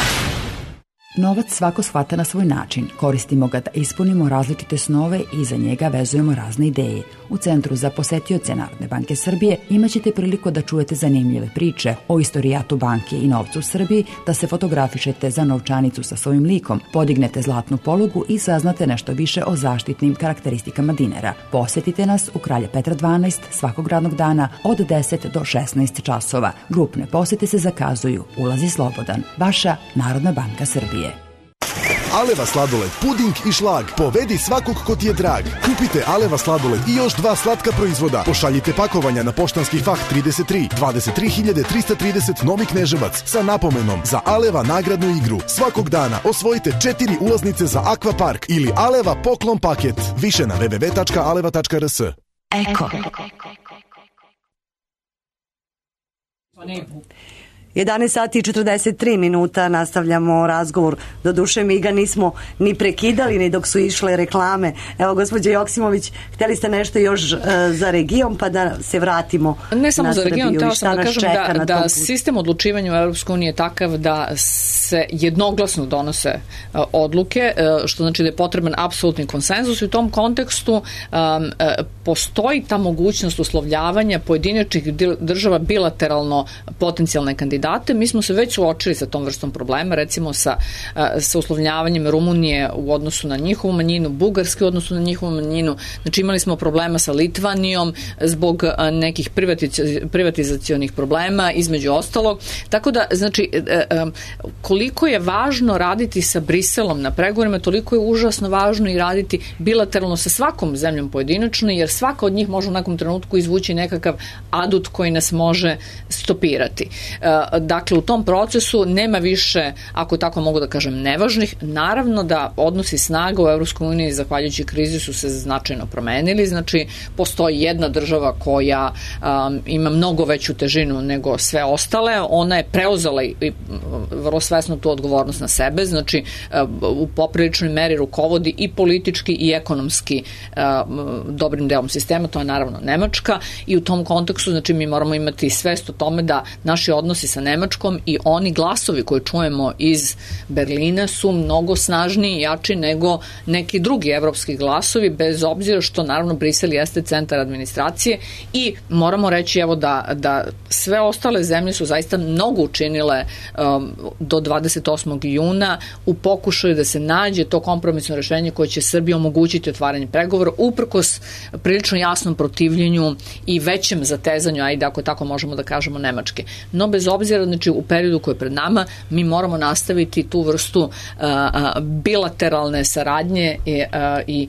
Novac svako shvata na svoj način. Koristimo ga da ispunimo različite snove i za njega vezujemo razne ideje. U Centru za posetioce Narodne banke Srbije imaćete priliku da čujete zanimljive priče o istorijatu banke i novcu u Srbiji, da se fotografišete za novčanicu sa svojim likom, podignete zlatnu polugu i saznate nešto više o zaštitnim karakteristikama dinara. Posetite nas u Kralja Petra 12 svakog radnog dana od 10 do 16 časova. Grupne posete se zakazuju. Ulaz je slobodan. Vaša Narodna banka Srbije. Aleva sladoled, puding i šlag. Povedi svakog ko ti je drag. Kupite Aleva sladoled i još 2 slatka proizvoda. Pošaljite pakovanja na poštanski fah 33 23330 Novi Kneževac sa napomenom za Aleva nagradnu igru. Svakog dana osvojite 4 ulaznice za Akvapark ili Aleva poklon paket. Više na www.aleva.rs. Eko. 11 sati i 43 minuta, nastavljamo razgovor. Doduše mi ga nismo ni prekidali ni dok su išle reklame. Evo, gospođo Joksimović, hteli ste nešto još za region, pa da se vratimo ne samo na za region, Srbiju. teo sam da kažem da sistem odlučivanja u EU je takav da se jednoglasno donose odluke, što znači da je potreban apsolutni konsenzus i u tom kontekstu postoji ta mogućnost uslovljavanja pojedinačnih država bilateralno potencijalne kandidate. Mi smo se već suočili sa tom vrstom problema, recimo sa uslovljavanjem Rumunije u odnosu na njihovu manjinu, Bugarske u odnosu na njihovu manjinu. Znači imali smo problema sa Litvanijom zbog nekih privatizacionih problema, između ostalog. Tako da, znači, koliko je važno raditi sa Briselom na pregovorima, toliko je užasno važno i raditi bilateralno sa svakom zemljom pojedinačno, jer svaka od njih može u nekom trenutku izvući nekakav adut koji nas može stopirati. Dakle, u tom procesu nema više, ako tako mogu da kažem, nevažnih. Naravno da odnosi snaga u EU zahvaljujući krizi su se značajno promenili. Znači, postoji jedna država koja ima mnogo veću težinu nego sve ostale. Ona je preuzela i vrlo svesno tu odgovornost na sebe. Znači, u popriličnoj meri rukovodi i politički i ekonomski dobrim delom sistema. To je naravno Nemačka i u tom kontekstu, znači, mi moramo imati svest o tome da naši odnosi sa sa Nemačkom i oni glasovi koje čujemo iz Berlina su mnogo snažniji i jači nego neki drugi evropski glasovi, bez obzira što naravno Brisel jeste centar administracije i moramo reći evo da sve ostale zemlje su zaista mnogo učinile do 28. juna u pokušaju da se nađe to kompromisno rešenje koje će Srbiji omogućiti otvaranje pregovora uprkos prilično jasnom protivljenju i većem zatezanju, ajde ako tako možemo da kažemo, Nemačke. No bez obzira, znači u periodu koji je pred nama mi moramo nastaviti tu vrstu bilateralne saradnje i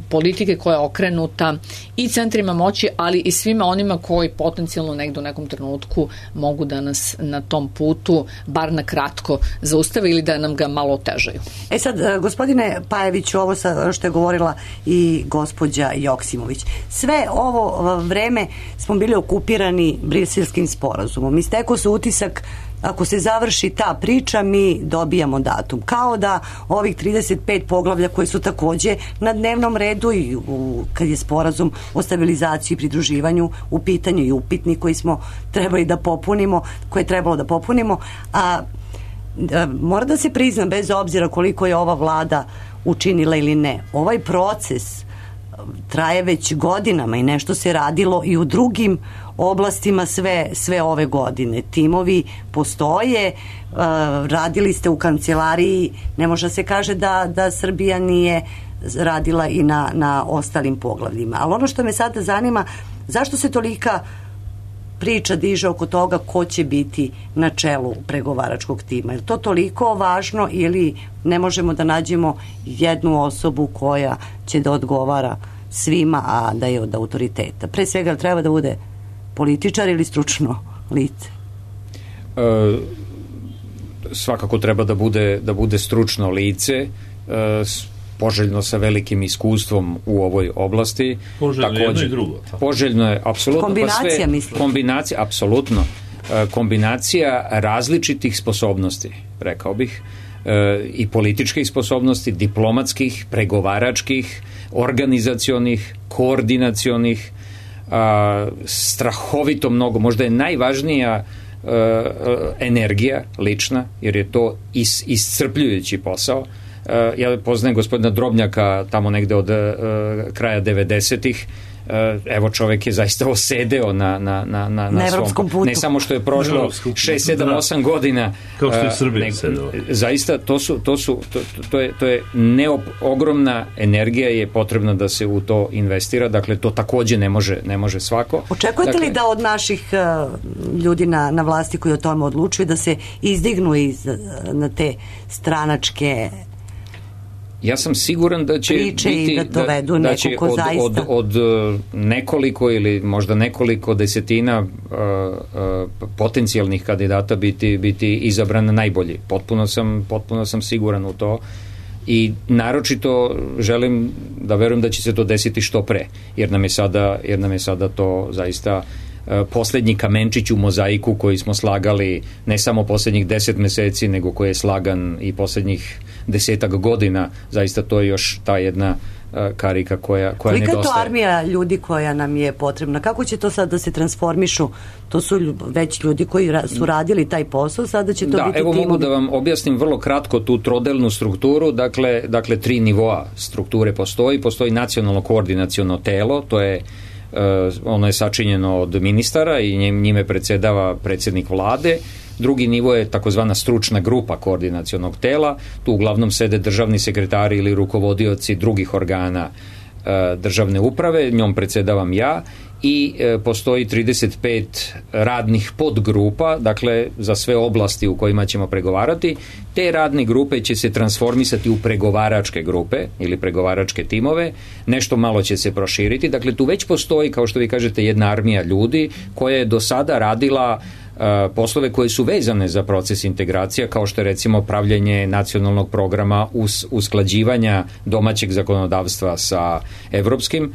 politike koja je okrenuta i centrima moći, ali i svima onima koji potencijalno negde u nekom trenutku mogu da nas na tom putu bar na kratko zaustave ili da nam ga malo otežaju. Sad, gospodine Pajeviću, ovo što je govorila i gospođa Joksimović, sve ovo vreme smo bili okupirani Briselskim sporazumom. Istekao se utisak, ako se završi ta priča, mi dobijamo datum. Kao da ovih 35 poglavlja koji su takođe na dnevnom redu i kad je sporazum o stabilizaciji i pridruživanju u pitanju i upitnik koji smo trebali da popunimo, koje je trebalo da popunimo, a mora da se prizna, bez obzira koliko je ova vlada učinila ili ne, ovaj proces traje već godinama i nešto se radilo i u drugim oblastima sve ove godine. Timovi postoje, radili ste u kancelariji, ne može se kaže da Srbija nije radila i na ostalim poglavljima. Ali ono što me sada zanima, zašto se tolika priča diže oko toga ko će biti na čelu pregovaračkog tima? Je to toliko važno ili ne možemo da nađemo jednu osobu koja će da odgovara svima, a da je od autoriteta? Pre svega treba da bude političar ili stručno lice? Svakako treba da bude stručno lice, poželjno sa velikim iskustvom u ovoj oblasti. Poželjno jedno i drugo. Poželjno je, apsolutno. Kombinacija, mislim. Kombinacija, apsolutno. Kombinacija različitih sposobnosti, rekao bih, i političkih sposobnosti, diplomatskih, pregovaračkih, organizacionih, koordinacionih, strahovito mnogo, možda je najvažnija energija lična, jer je to iscrpljujući posao. Ja poznajem gospodina Drobnjaka tamo negde od kraja 90-ih. Evo, čovek je zaista osedeo na evropskom putu. Ne samo što je prošlo 6, 7, 8 godina. Kao što je Srbija sedela. Zaista, to je ogromna energija je potrebna da se u to investira. Dakle, to takođe ne može svako. Očekujete li da od naših ljudi na vlasti koji o tome odlučuju da se izdignu na te stranačke ja sam siguran da će biti da će od nekoliko ili možda nekoliko desetina potencijalnih kandidata biti izabran najbolji. Potpuno sam siguran u to i naročito želim da verujem da će se to desiti što pre, jer nam je sada to zaista poslednji kamenčić u mozaiku koji smo slagali ne samo poslednjih 10 meseci, nego koji je slagan i poslednjih 10 godina. Zaista to je još ta jedna karika koja nedostaje. Kolika je to armija ljudi koja nam je potrebna? Kako će to sad da se transformišu? To su već ljudi koji su radili taj posao, sada će to biti timovi. Mogu da vam objasnim vrlo kratko tu trodelnu strukturu. Dakle 3 nivoa strukture postoji nacionalno koordinaciono telo, to je ono je sačinjeno od ministara i njime predsedava predsednik vlade. Drugi nivo je takozvana stručna grupa koordinacionog tela, tu uglavnom sede državni sekretari ili rukovodioci drugih organa državne uprave, njom predsedavam ja i postoji 35 radnih podgrupa, dakle za sve oblasti u kojima ćemo pregovarati. Te radne grupe će se transformisati u pregovaračke grupe ili pregovaračke timove, nešto malo će se proširiti, dakle tu već postoji, kao što vi kažete, jedna armija ljudi koja je do sada radila poslove koje su vezane za proces integracija, kao što je recimo pravljenje nacionalnog programa usklađivanja domaćeg zakonodavstva sa evropskim.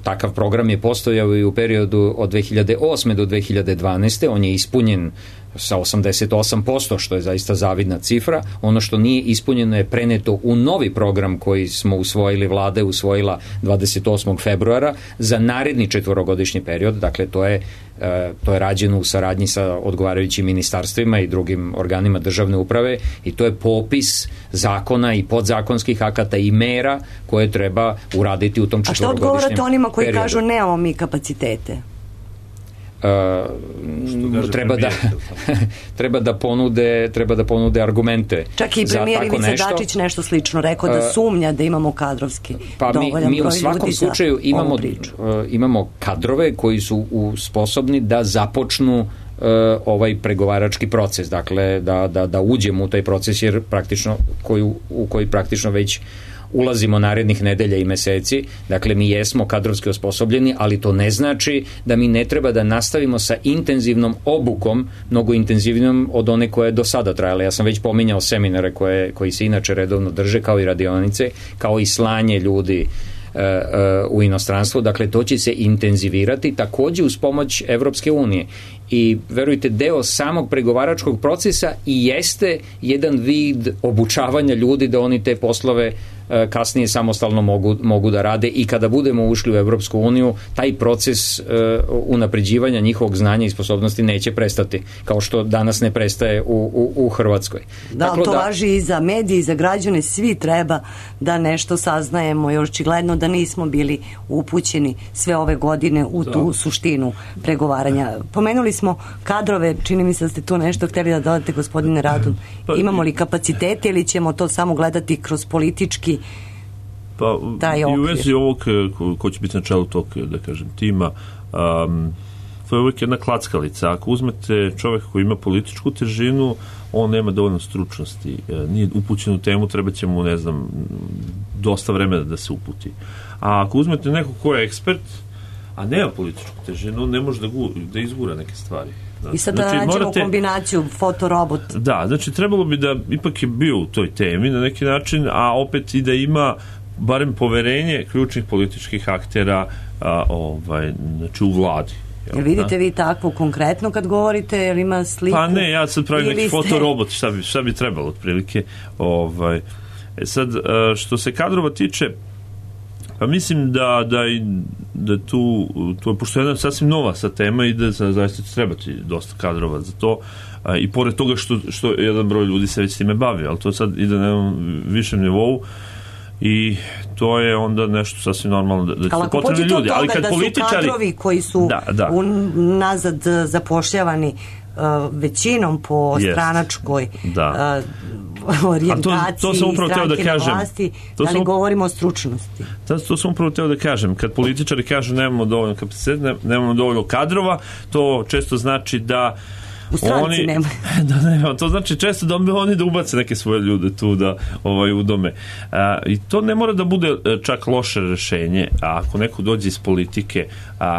Takav program je postojao i u periodu od 2008. do 2012. On je ispunjen sa 88%, što je zaista zavidna cifra. Ono što nije ispunjeno je preneto u novi program koji smo usvojili, vlada je usvojila 28. februara za naredni 4-godišnji period. Dakle, to je rađeno u saradnji sa odgovarajućim ministarstvima i drugim organima državne uprave i to je popis zakona i podzakonskih akata i mera koje treba uraditi u tom 4-godišnjem periodu. A što odgovarate onima koji kažu nemamo mi kapacitete? Treba da ponude argumente. Čak i premijer Ivica Dačić nešto slično rekao, da sumnja da imamo kadrovski dovoljan broj ljudi. Mi u svakom slučaju imamo kadrove koji su sposobni da započnu ovaj pregovarački proces, dakle da uđemo u taj proces jer u koji praktično već ulazimo narednih nedelja i meseci. Dakle, mi jesmo kadrovski osposobljeni, ali to ne znači da mi ne treba da nastavimo sa intenzivnom obukom, mnogo intenzivnijom od one koje je do sada trajala. Ja sam već pominjao seminare koji se inače redovno drže, kao i radionice, kao i slanje ljudi u inostranstvo. Dakle, to će se intenzivirati takođe uz pomoć Evropske unije. I verujte, deo samog pregovaračkog procesa i jeste jedan vid obučavanja ljudi da oni te poslove kasnije samostalno mogu da rade i kada budemo ušli u Evropsku uniju, taj proces unapređivanja njihovog znanja i sposobnosti neće prestati, kao što danas ne prestaje u Hrvatskoj. Da, dakle, to važi i za medije i za građane, svi treba da nešto saznajemo, još očigledno da nismo bili upućeni sve ove godine u tu suštinu pregovaranja. Pomenuli smo kadrove, čini mi se da ste tu nešto hteli da dodate, gospodine Radun. Imamo li kapacitete ili ćemo to samo gledati kroz politički taj okvir? I u vezi ovog ko će biti na čelu tog, da kažem, tima, to je uvijek jedna klackalica. Ako uzmete čovjeka koji ima političku težinu, on nema dovoljno stručnosti, nije upućen u temu, treba će mu, ne znam, dosta vremena da se uputi. A ako uzmete nekog ko je ekspert, a nema političku težinu, on ne može da izgura neke stvari. I sad da nađemo kombinaciju fotorobot. Da, znači trebalo bi da ipak je bio u toj temi na neki način, a opet i da ima barem poverenje ključnih političkih aktera znači u vladi. Jel vidite vi takvo konkretno kad govorite, jel ima sliku? Pa ne, ja sad pravim neki fotorobot, šta bi trebalo otprilike. Sad, što se kadrova tiče, pa mislim da tu, pošto je jedna sasvim nova sa tema i da zaista će trebati dosta kadrova za to, i pored toga što jedan broj ljudi se već time bavi, ali to sad ide na jednom višem nivou i to je onda nešto sasvim normalno da će potrebni ljudi. Ali kad političari... su kadrovi koji su nazad zapošljavani većinom po stranačkoj orijentaciji stranke na vlasti, da li govorimo o stručnosti? To sam upravo teo da kažem. Kad političari kažu nemamo dovoljno kapaciteta, nemamo dovoljno kadrova, to često znači da u stranci nema. To znači često da oni da ubace neke svoje ljude tu da udome. I to ne mora da bude čak loše rešenje. Ako neko dođe iz politike,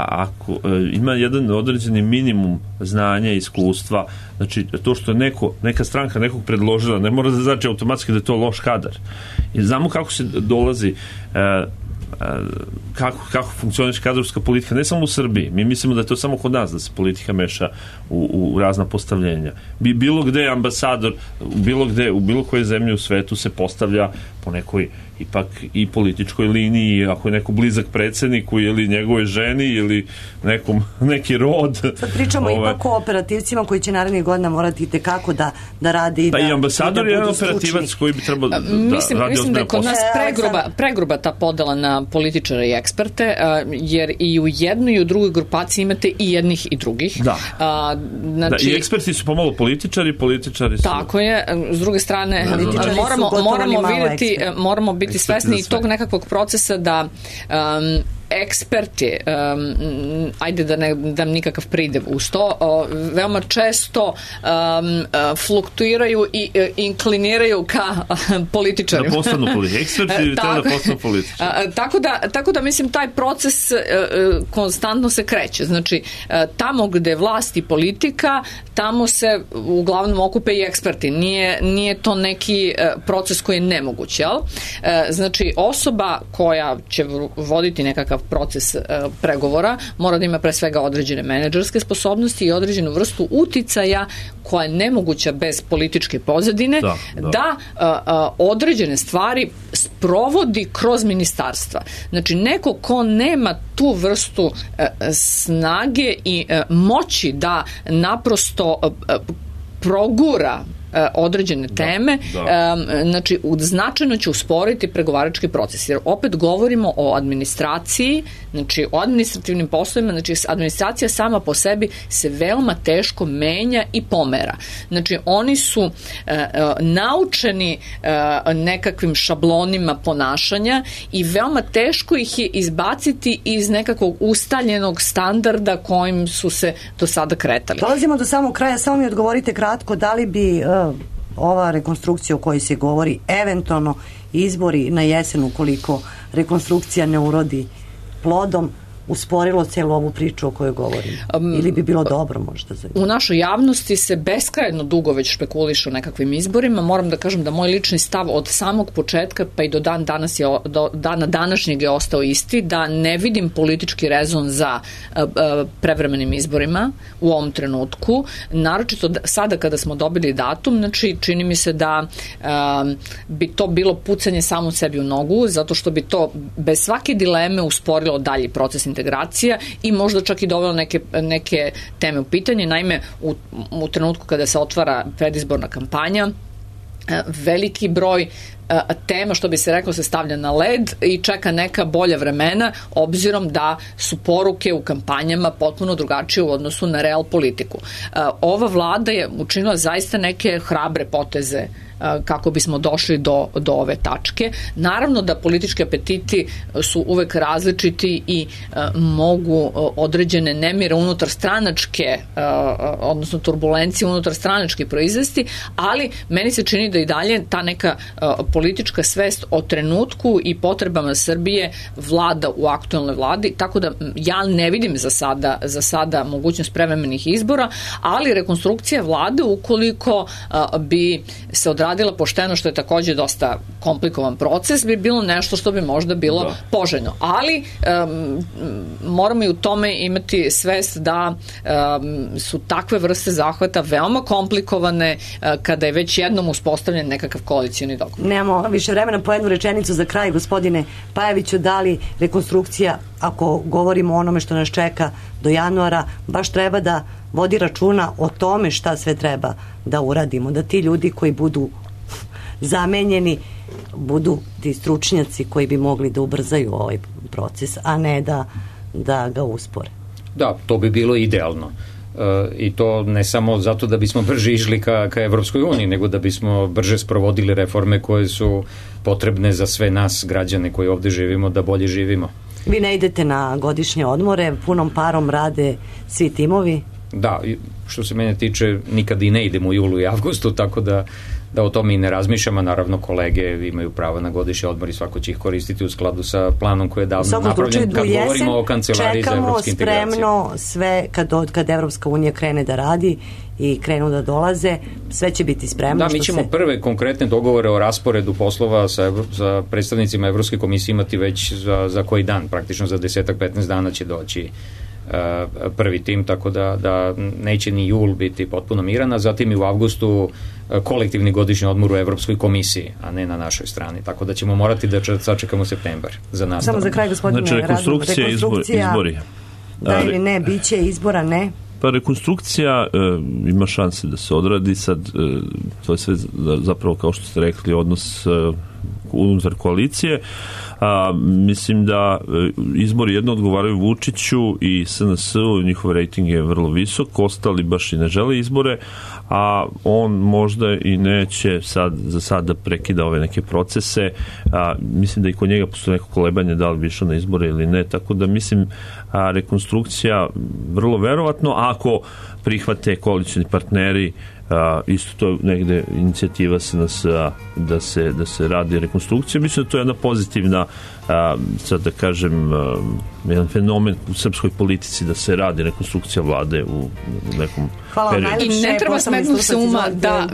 ako ima jedan određeni minimum znanja i iskustva, znači to što je neka stranka nekog predložila, ne mora da znači automatski da je to loš kadar. I znamo kako se dolazi kako funkcioniše kadrovska politika, ne samo u Srbiji. Mi mislimo da je to samo kod nas, da se politika meša u razna postavljenja. Bilo gde ambasador, u bilo koje zemlje u svetu se postavlja po nekoj ipak i političkoj liniji, ako je neko blizak predsjedniku ili njegove ženi ili neki rod. Sad pričamo ipak o operativcima koji će narednih godina morati itekako da radi. Pa i ambasador je jedan operativac koji bi trebao da radi. Mislim da je kod nas pregruba ta podela na političare i eksperte, jer i u jednoj i u drugoj grupaciji imate i jednih i drugih. Znači, i eksperti su pomalo političari su... Tako je, s druge strane moramo biti svesni i tog nekakvog procesa da eksperti, ajde da ne dam nikakav pridev uz to, veoma često fluktuiraju i inkliniraju ka političarima. Da postanu eksperti da postanu političari. Tako da mislim taj proces konstantno se kreće. Znači, tamo gde vlast i politika, tamo se uglavnom okupe i eksperti. Nije to neki proces koji je nemoguć, jel? Znači, osoba koja će voditi nekakav nekakav proces pregovora, mora da ima pre svega određene menadžerske sposobnosti i određenu vrstu uticaja koja je nemoguća bez političke pozadine, da određene stvari sprovodi kroz ministarstva. Znači, neko ko nema tu vrstu snage i moći da naprosto progura određene teme, znači značajno će usporiti pregovarački proces, jer opet govorimo o administraciji, znači o administrativnim poslovima, znači administracija sama po sebi se veoma teško menja i pomera. Znači oni su naučeni nekakvim šablonima ponašanja i veoma teško ih je izbaciti iz nekakvog ustaljenog standarda kojim su se do sada kretali. Dolazimo do samog kraja, samo mi odgovorite kratko, da li bi ova rekonstrukcija o kojoj se govori, eventualno izbori na jesen, ukoliko rekonstrukcija ne urodi plodom, usporilo celu ovu priču o kojoj govorimo? Ili bi bilo dobro možda za... U našoj javnosti se beskrajno dugo već špekuliše o nekakvim izborima. Moram da kažem da moj lični stav od samog početka pa i do dana današnjeg je ostao isti, da ne vidim politički rezon za prevremenim izborima u ovom trenutku. Naročito sada kada smo dobili datum, znači čini mi se da bi to bilo pucanje samo sebi u nogu, zato što bi to bez svake dileme usporilo dalji proces integracija i možda čak i dovelo neke teme u pitanje. Naime, u trenutku kada se otvara predizborna kampanja, veliki broj tema, što bi se reklo, se stavlja na led i čeka neka bolja vremena, obzirom da su poruke u kampanjama potpuno drugačije u odnosu na real politiku. Ova vlada je učinila zaista neke hrabre poteze kako bismo došli do ove tačke. Naravno da politički apetiti su uvek različiti i mogu određene nemire unutar stranačke, odnosno turbulencije unutar stranačke proizvesti, ali meni se čini da i dalje ta neka politička svest o trenutku i potrebama Srbije vlada u aktuelnoj vladi, tako da ja ne vidim za sada mogućnost prevremenih izbora, ali rekonstrukcija vlade, ukoliko bi se odradila pošteno, što je takođe dosta komplikovan proces, bi bilo nešto što bi možda bilo poželjno. Ali moramo i u tome imati svest da su takve vrste zahvata veoma komplikovane kada je već jednom uspostavljen nekakav koalicioni dogovor. Nemamo više vremena, po jednu rečenicu za kraj, gospodine Pajeviću, da li rekonstrukcija, ako govorimo o onome što nas čeka do januara, baš treba da vodi računa o tome šta sve treba da uradimo, da ti ljudi koji budu zamenjeni budu ti stručnjaci koji bi mogli da ubrzaju ovaj proces, a ne da ga uspore. Da, to bi bilo idealno. I to ne samo zato da bismo brže išli ka Evropskoj uniji, nego da bismo brže sprovodili reforme koje su potrebne za sve nas, građane koji ovde živimo, da bolje živimo. Vi ne idete na godišnje odmore, punom parom rade svi timovi? Da, što se mene tiče, nikad i ne idem u julu i avgustu, tako da o tome i ne razmišljam, a naravno kolege imaju pravo na godišnji odmor i svako će ih koristiti u skladu sa planom koji je davno napravljen. Kad govorimo o kancelariji za evropske integracije. Čekamo spremno sve kad Evropska unija krene da radi i krenu da dolaze, sve će biti spremno. Da, mi ćemo prve konkretne dogovore o rasporedu poslova sa predstavnicima Evropske komisije imati već za koji dan, praktično za 10-15 dana će doći prvi tim, tako da neće ni jul biti potpuno miran, a zatim i u avgustu kolektivni godišnji odmor u Evropskoj komisiji, a ne na našoj strani, tako da ćemo morati da sačekamo septembar za nas. Samo za kraj, gospodine, znači rekonstrukcija, izbori. Da ili ne, biće izbora, ne? Pa rekonstrukcija ima šanse da se odradi sad, to je sve zapravo, kao što ste rekli, odnos unutar koalicije. Mislim da izbori jedno odgovaraju Vučiću i SNS-u, njihov rejting je vrlo visok, ostali baš i ne žele izbore, a on možda i neće za sad da prekida ove neke procese. Mislim da i kod njega postoje neko kolebanje da li bi išao na izbore ili ne, tako da mislim rekonstrukcija vrlo verovatno, ako prihvate koalicioni partneri, isto to je negde inicijativa SNS-a da se radi rekonstrukcija rekonstrukcije. Mislim da to je jedna pozitivna, sad da kažem, jedan fenomen u srpskoj politici da se radi rekonstrukcija vlade u nekom periodu. I ne treba smetnuti se uma da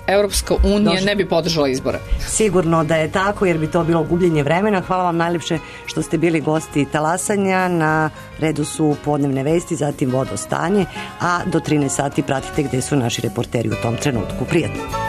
Evropska unija ne bi podržala izbore. Sigurno da je tako, jer bi to bilo gubljenje vremena. Hvala vam najlepše što ste bili gosti Talasanja. Na redu su podnevne vesti, zatim vodostanje, a do 13 sati pratite gde su naši reporteri u tom trenutku. Prijatno.